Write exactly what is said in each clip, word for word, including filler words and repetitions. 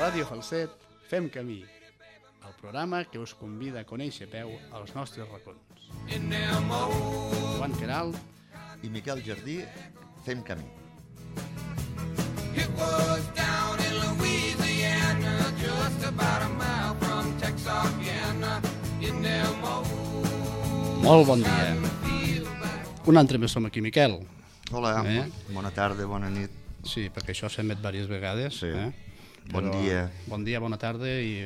Ràdio Falset, fem camí, el programa que us convida a conèixer a peu als nostres racons. Joan Queralt i Miquel Jardí, fem camí. It was down in Louisiana, just about a mile from Texarkana, in them old... Molt bon dia. Un altre més som aquí, Miquel. Hola, Eh? bona tarda, bona nit. Sí, perquè això s'ha emet diverses vegades. Sí. Eh? Bon Però dia. Bon dia, bona tarda i,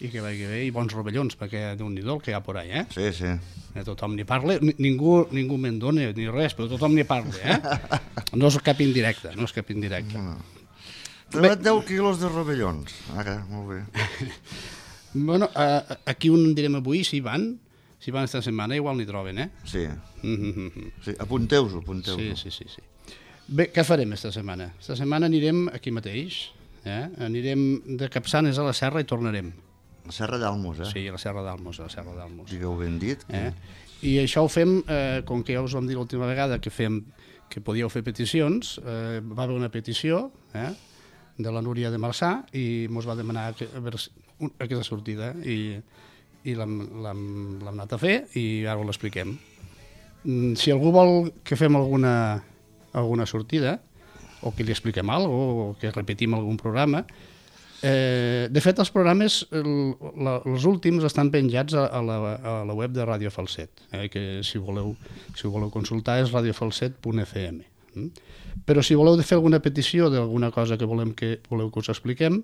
i que vagi bé, i bons rovellons, perquè déu-n'hi-do el que hi ha por ahí, eh? Sí, sí. Eh, Tothom n'hi parla, Ni- ningú, ningú me'n dona ni res, però tothom n'hi parla, eh? No és cap indirecte, no és cap indirecte. Trebat deu quilos de rovellons. Ara, molt bé. Bueno, eh, aquí on direm avui, si van, si van esta setmana, igual n'hi troben, eh? Sí, Mm-hmm. sí. Apunteu-ho, apunteu-ho. Sí, sí, sí, sí. Bé, què farem esta setmana? Esta setmana anirem aquí mateix, eh? Anirem de Capçanes a la Serra i tornarem. La Serra d'Almos, eh? Sí, a la Serra d'Almos, a la Serra d'Almos. Digueu ben dit. Eh? I això ho fem, eh, com que ja us vam dir l'última vegada que fem que podíeu fer peticions, eh, va haver una petició eh, de la Núria de Marçà i mos va demanar que, a veure, si- un- aquesta sortida i, i l'hem l'hem l'hem anat a fer i ara ho l'expliquem. Mm, Si algú vol que fem alguna, alguna sortida o que li expliquem alguna cosa o que repetim algun programa, Eh, de fet, els programes, el, la, els últims, estan penjats a, a, la, a la web de Ràdio Falset, eh, que si voleu, si ho voleu consultar és radiofalset punt f m. Mm? Però si voleu fer alguna petició d'alguna cosa que volem que voleu que us expliquem,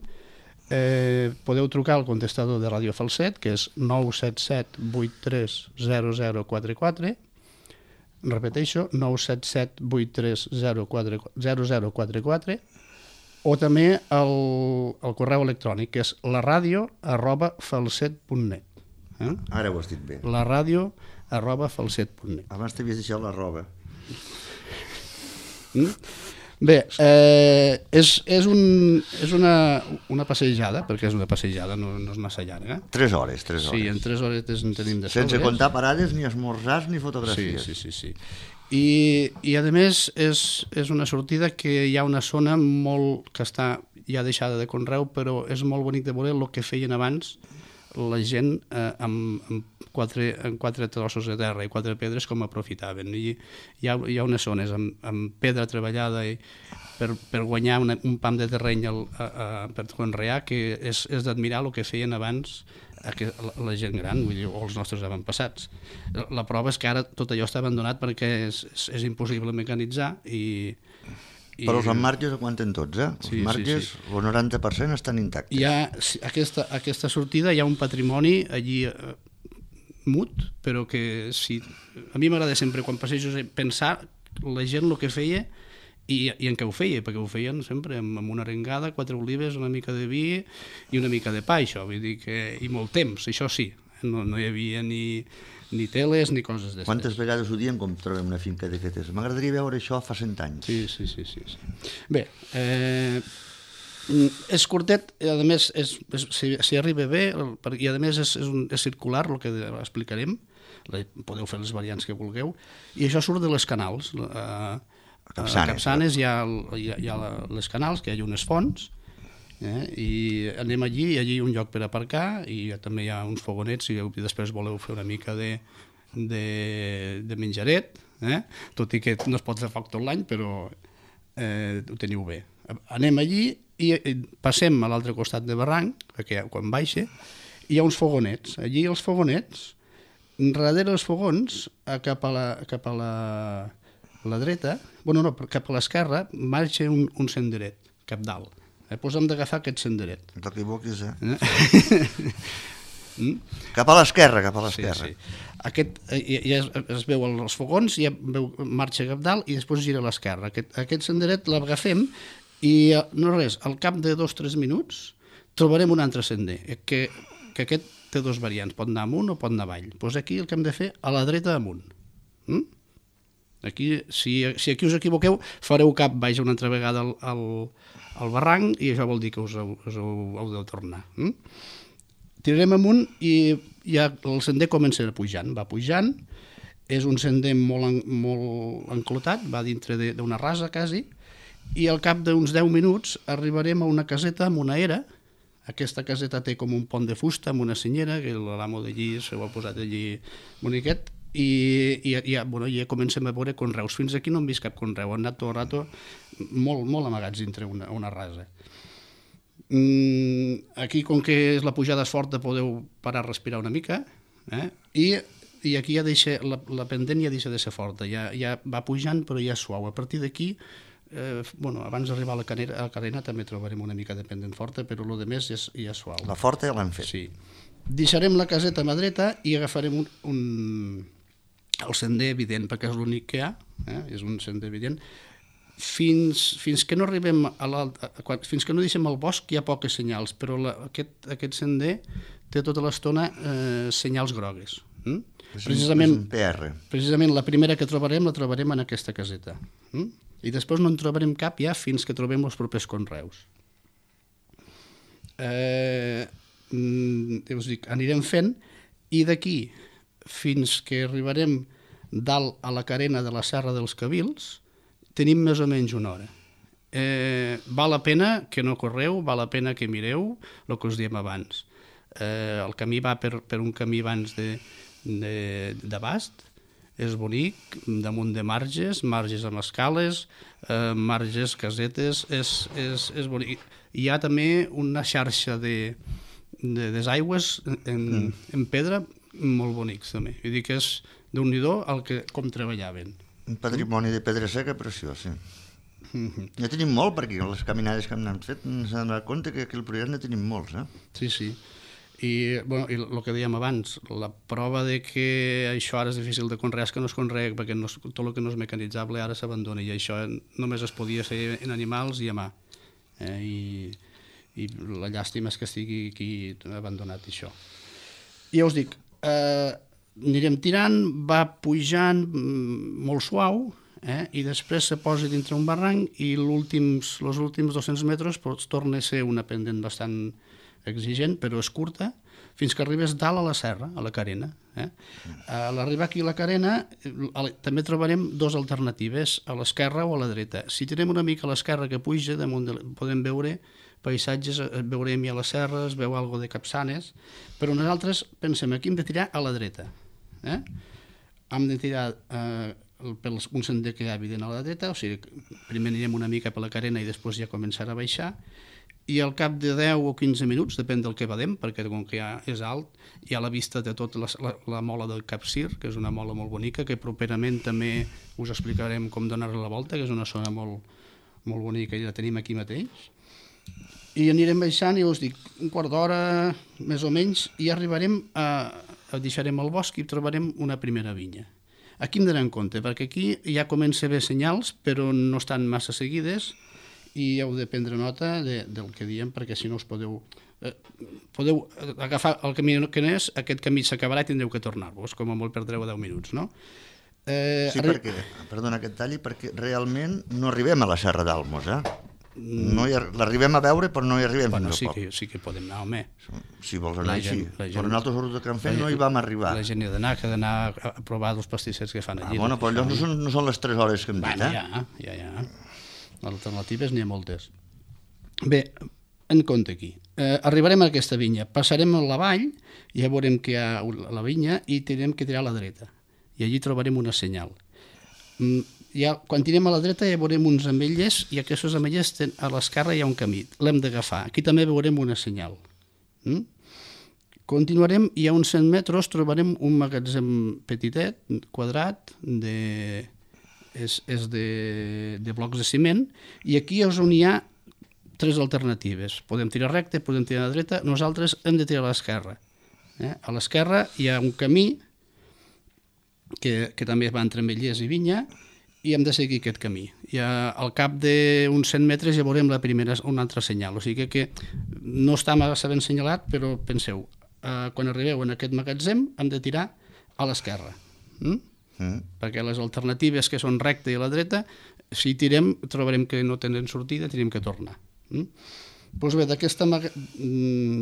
eh, podeu trucar al contestador de Ràdio Falset, que és nou set set vuit tres zero zero quatre quatre, repeteixo, nou set set vuit tres zero zero quatre quatre, o també el, el correu electrònic, que és la ràdio arroba falset punt net. Eh? Ara ho has dit bé. La ràdio arroba falset punt net. Abans t'havies deixat la roba. Mm? Bé, eh, és, és, un, és una, una passejada, perquè és una passejada, no, no és massa llarga. Tres hores, tres hores. Sí, en tres horetes en tenim de Sense sobres. comptar parades, ni esmorzars, ni Sí, fotografies. sí, sí, sí. I, i a més és, és una sortida que hi ha una zona molt que està ja deixada de conreu, però és molt bonic de veure el que feien abans la gent eh, amb, amb, quatre, amb quatre trossos de terra i quatre pedres com aprofitaven. I hi ha, hi ha unes zones amb, amb pedra treballada i per, per guanyar una, un pam de terreny al, a, a, per conrear, que és, és d'admirar el que feien abans a que la, la gent gran, vull dir, o els nostres avantpassats. La, la prova és que ara tot allò està abandonat perquè és, és, és impossible mecanitzar i... i Però els emmarges aguanten tots, eh? Els Sí, sí, marges, sí. el noranta per cent estan intactes. hi ha sí, aquesta, aquesta sortida, hi ha un patrimoni allí eh, mut, però que si... A mi m'agrada sempre, quan passejo, pensar la gent el que feia i, i en què ho feia, perquè ho feien sempre amb, amb una arengada, quatre olives, una mica de vi i una mica de pa, això, vull dir que... i molt temps, això sí, no, no hi havia ni, ni teles ni coses d'estes. Quantes vegades ho diem com trobem una finca d'aquestes? M'agradaria veure això fa cent anys. Sí, sí, sí, sí, sí. Bé, eh, és curtet, i a més, és, és, si, si arriba bé, el- per- i a més és, és, un, és circular, el que explicarem, la, podeu fer les variants que vulgueu, i això surt de les canals. A, a Capçanes. Capçanes hi ha, el, hi ha, hi ha la, les canals, que hi ha unes fonts, eh, i anem allí, i allí hi ha un lloc per aparcar, i també hi ha uns fogonets, si després voleu fer una mica de, de, de menjaret, eh? Tot i que no es pot fer foc tot l'any, però eh, ho teniu bé. Anem allí i i passem a l'altre costat de barranc, perquè quan baixa, hi ha uns fogonets. Allí els fogonets, darrere dels fogons, a cap a la, cap a la, la dreta, bueno, no, cap a l'esquerra, marxa un, un senderet, cap dalt. Eh, doncs hem d'agafar aquest senderet. No t'equivoquis, eh? Mm? Cap a l'esquerra, cap a Sí, l'esquerra. sí. Aquest, eh, ja es, es veu els fogons, ja veu, marxa cap dalt i després gira a l'esquerra. Aquest, aquest senderet l'agafem i eh, no res, al cap de dos o tres minuts trobarem un altre sender, eh, que, que aquest té dos variants, pot anar amunt o pot anar avall. Doncs aquí el que hem de fer a la dreta amunt. Mm? Aquí, si, si aquí us equivoqueu, fareu cap baix una altra vegada al, al, al barranc i això vol dir que us, heu- us heu, heu de tornar. Mm? Tirarem amunt i ja el sender comença pujant, va pujant, és un sender molt, en, molt enclotat, va dintre de- d'una rasa quasi, i al cap d'uns deu minuts arribarem a una caseta amb una era, Aquesta caseta té com un pont de fusta amb una senyera, que l'amo d'allí s'ho ha posat allí boniquet, i, i, i, bueno, ja comencem a veure conreus. Fins aquí no hem vist cap conreu, han anat tot el rato molt, molt amagats dintre una, una rasa. Mm, aquí, com que la pujada és forta, podeu parar a respirar una mica, eh? I, i aquí ja deixa, la, la pendent ja deixa de ser forta, ja, ja va pujant però ja és suau. A partir d'aquí, eh, bueno, abans d'arribar a la carena, a la carena també trobarem una mica de pendent forta, però el que més ja és, ja és suau. La forta ja l'han fet. Sí. Deixarem la caseta a mà dreta i agafarem un, un, el sender evident, perquè és l'únic que hi ha, eh? És un sender evident. Fins, fins que no arribem a l'alt, fins que no deixem el bosc hi ha poques senyals, però la, aquest, aquest sender té tota l'estona eh, senyals grogues. Mm? Precisament, P R. precisament la primera que trobarem la trobarem en aquesta caseta. Mm? I després no en trobarem cap ja fins que trobem els propers conreus. Eh, ja us dic, anirem fent, i d'aquí fins que arribarem dalt a la carena de la Serra dels Cabils tenim més o menys una hora. Eh, val la pena que no correu, val la pena que mireu el que us diem abans. Eh, el camí va per, per un camí abans de, de, d'abast, és bonic, damunt de marges, marges amb escales, eh, marges, casetes, és, és, és bonic. Hi ha també una xarxa de, de desaigües en, mm. en pedra molt bonics també. Vull dir que és déu-n'hi-do el que, com treballaven. Un patrimoni de pedra seca preciós, sí. Mm-hmm. Ja tenim molt, perquè les caminades que hem anat fet ens hem donat compte que aquí al Priorat ne tenim molts, eh? Sí, sí. I, bueno, i el que dèiem abans, la prova de que això ara és difícil de conrear és que no es conrea, perquè no és, tot el que no és mecanitzable ara s'abandona, i això només es podia fer en animals i a mà. Eh? I, I la llàstima és que estigui aquí abandonat, això. I ja us dic, eh, anirem tirant, va pujant molt suau, eh? I després se posa dintre un barranc i els últims, els últims dos-cents metres doncs, torna a ser una pendent bastant exigent, però és curta, fins que arribes dalt a la serra, a la carena. Eh? A l'arribar aquí a la carena també trobarem dues alternatives, a l'esquerra o a la dreta. Si tirem una mica a l'esquerra que puja, damunt de, podem veure paisatges, veurem ja les serres, veu algo de capçanes, però nosaltres pensem aquí hem de tirar a la dreta. Eh? Hem de tirar eh, per un sender que hi ha evident a la dreta, o sigui, primer anirem una mica per la carena i després ja començarà a baixar, i al cap de deu o quinze minuts, depèn del que vedem, perquè com que ja és alt, hi ha la vista de tota la, la, la mola del Capcir, que és una mola molt bonica, que properament també us explicarem com donar-li la volta, que és una zona molt, molt bonica i la tenim aquí mateix. I anirem baixant i us dic, un quart d'hora més o menys, i arribarem a, a deixarem el bosc i trobarem una primera vinya. Aquí hem d'anar en compte, perquè aquí ja comença a haver senyals, però no estan massa seguides, i heu de prendre nota de, del que diem, perquè si no us podeu, eh, podeu agafar el camí que no és, aquest camí s'acabarà i tindreu que tornar-vos, com a molt perdreu deu minuts, no? Eh, sí, arri... perquè, perdona que et talli, perquè realment no arribem a la Serra d'Almos, eh? No hi, l'arribem a veure, però no hi arribem bueno, fins sí a poc. Que, sí que podem anar, home. Si vols anar així. Però nosaltres a Can Fent no hi vam arribar. La gent hi ha d'anar, que ha d'anar a provar els pastissers que fan allí. Ah, bueno, però allò no són, no són les tres hores que hem dit, bueno, eh? ja, ja, ja. Alternatives n'hi ha moltes. Bé, en compte aquí. Eh, arribarem a aquesta vinya, passarem a la vall, ja veurem que hi ha la vinya i tindrem que tirar a la dreta. I allí trobarem una senyal. Mm, ja, quan tirem a la dreta ja veurem uns ametllers i aquests ametllers a l'esquerra hi ha un camí. L'hem d'agafar. Aquí també veurem una senyal. Mm? Continuarem i a uns cent metres trobarem un magatzem petitet, quadrat, de... és, és de, de blocs de ciment, i aquí és on hi ha tres alternatives. Podem tirar recte, podem tirar a la dreta, nosaltres hem de tirar a l'esquerra. Eh? A l'esquerra hi ha un camí que, que també va entre ametllers i vinya, i hem de seguir aquest camí. I a, al cap d'uns cent metres ja veurem la primera, una altra senyal. O sigui que, que no està massa ben senyalat, però penseu, eh, quan arribeu en aquest magatzem hem de tirar a l'esquerra. Mm? Mm. Perquè les alternatives que són recta i a la dreta, si tirem trobarem que no tenen sortida, tenim que tornar. Mm? Doncs bé, maga...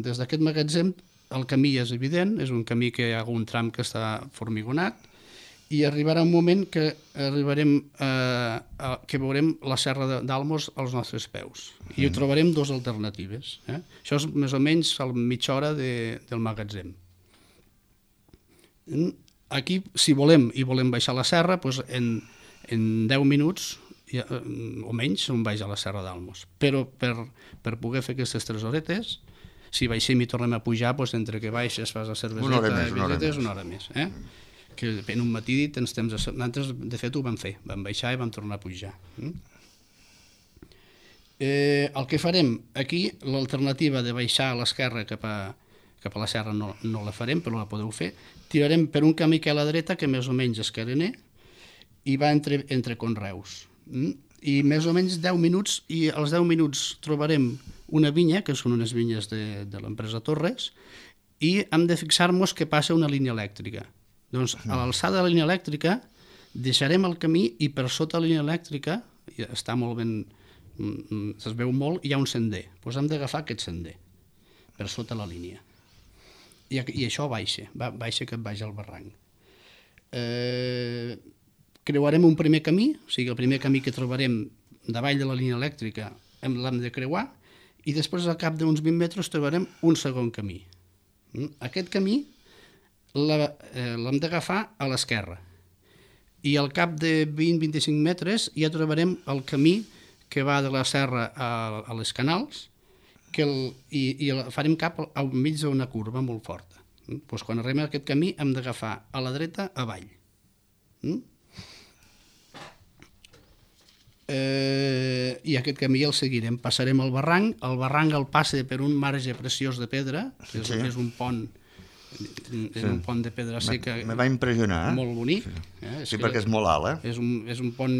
des d'aquest magatzem el camí és evident, és un camí que hi ha un tram que està formigonat, i arribarà un moment que arribarem a, a, que veurem la serra d'Almos als nostres peus i hi trobarem dues alternatives. Eh? Això és més o menys a mitja hora de, del magatzem. Aquí, si volem i volem baixar la serra, doncs en, en deu minuts ja, o menys on baix a la serra d'Almos. Però per, per poder fer aquestes tres horetes, si baixem i tornem a pujar, doncs entre que baixes, fas la cerveseta, una hora més, una hora visites, més. una hora més. Eh? Que en un matí tens temps de... Nosaltres, de fet, ho vam fer. Vam baixar i vam tornar a pujar. Mm? Eh, el que farem aquí, l'alternativa de baixar a l'esquerra cap a, cap a la serra no, no la farem, però la podeu fer. Tirarem per un camí que a la dreta, que més o menys és carener, i va entre, entre conreus. Mm? I més o menys deu minuts, i als deu minuts trobarem una vinya, que són unes vinyes de, de l'empresa Torres, i hem de fixar-nos que passa una línia elèctrica. Doncs a l'alçada de la línia elèctrica deixarem el camí i per sota la línia elèctrica, està molt ben, es veu molt, hi ha un sender. Doncs hem d'agafar aquest sender per sota la línia. I, i això baixa, baixa que baixa al barranc. Eh, creuarem un primer camí, o sigui, el primer camí que trobarem davall de la línia elèctrica l'hem de creuar i després al cap d'uns vint metres trobarem un segon camí. Aquest camí l'hem d'agafar a l'esquerra i al cap de vint a vint-i-cinc metres ja trobarem el camí que va de la serra a, a les Canals que el, i, i el farem cap al mig d'una curva molt forta. Pues quan arribem a aquest camí hem d'agafar a la dreta avall. Mm? Eh, i aquest camí el seguirem, passarem el barranc, el barranc el passa per un marge preciós de pedra, que és, sí. és un pont és sí. un pont de pedra seca. Me va impressionar. Eh? Molt bonic. Sí, eh? sí perquè és molt alt, eh? És un, és un pont,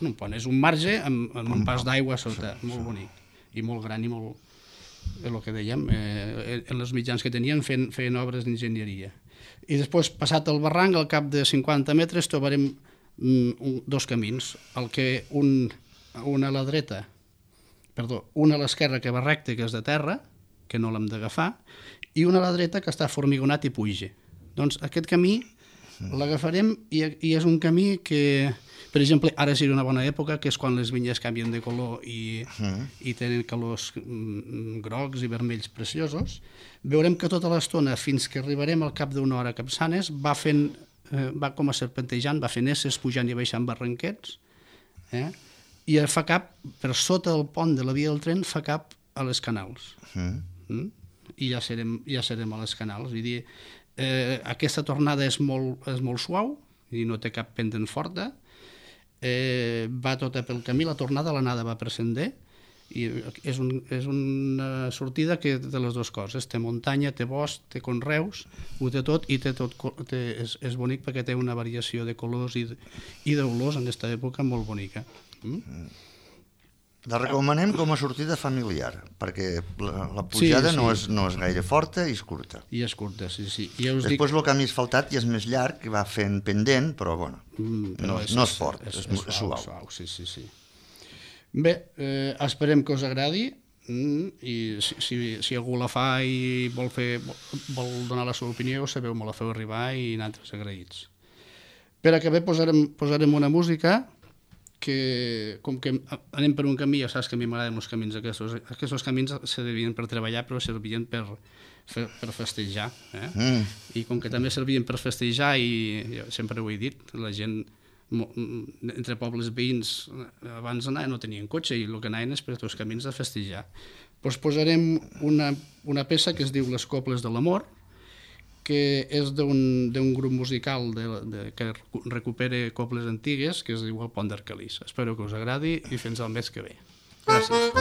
un pont, és un marge amb, amb un pas d'aigua sota, sí, molt sí. bonic, i molt gran i molt, és el que dèiem, eh, en els mitjans que tenien feien, feien obres d'enginyeria. I després, passat el barranc, al cap de cinquanta metres, trobarem mm, un, dos camins, el que un, un a la dreta, perdó, un a l'esquerra que va recte, que és de terra, que no l'hem d'agafar, i una a la dreta que està formigonat i puja. Doncs aquest camí l'agafarem i, i és un camí que, per exemple, ara seria una bona època, que és quan les vinyes canvien de color i, uh-huh. i tenen colors mm, grocs i vermells preciosos. Veurem que tota l'estona, fins que arribarem al cap d'una hora a Capçanes, va fent, eh, va com a serpentejant, va fent esses, pujant i baixant barranquets, eh? I fa cap, per sota del pont de la via del tren, fa cap a les Canals. Uh-huh. Mm? I ja serem, ja serem a les Canals. Vull dir, eh, aquesta tornada és molt, és molt suau i no té cap pendent forta, eh, va tota pel camí, la tornada, l'anada va per sender i és, un, és una sortida que té les dues coses, té muntanya, té bosc, té conreus, ho té tot i té tot, té, és, és bonic perquè té una variació de colors i, i d'olors en aquesta època molt bonica. Mm? La recomanem com a sortida familiar, perquè la, la pujada sí, sí. No, és, no és gaire forta i és curta. I és curta, sí, sí. I ja us Després dic... el camí asfaltat ja és més llarg, que va fent pendent, però, bueno, mm, però no, és, no és fort, és, és, és, és suau. suau. Sí, sí, sí. Bé, eh, esperem que us agradi mm, i si, si, si algú la fa i vol, fer, vol donar la seva opinió, sabeu, me la feu arribar i nosaltres agraïts. Per acabar posarem, posarem una música que, com que anem per un camí, ja saps que a mi m'agraden els camins aquests, aquests camins servien per treballar però servien per, per festejar, eh? Mm. I com que també servien per festejar i jo sempre ho he dit, la gent entre pobles veïns abans d'anar no tenien cotxe i el que anaven és per tots els camins de festejar. Doncs posarem una, una peça que es diu Les Coples de l'Amor, que és d'un grup musical de, de, que recupera coples antigues, que es diu El Pont d'Arcalís. Espero que us agradi i fins al mes que ve. Gràcies.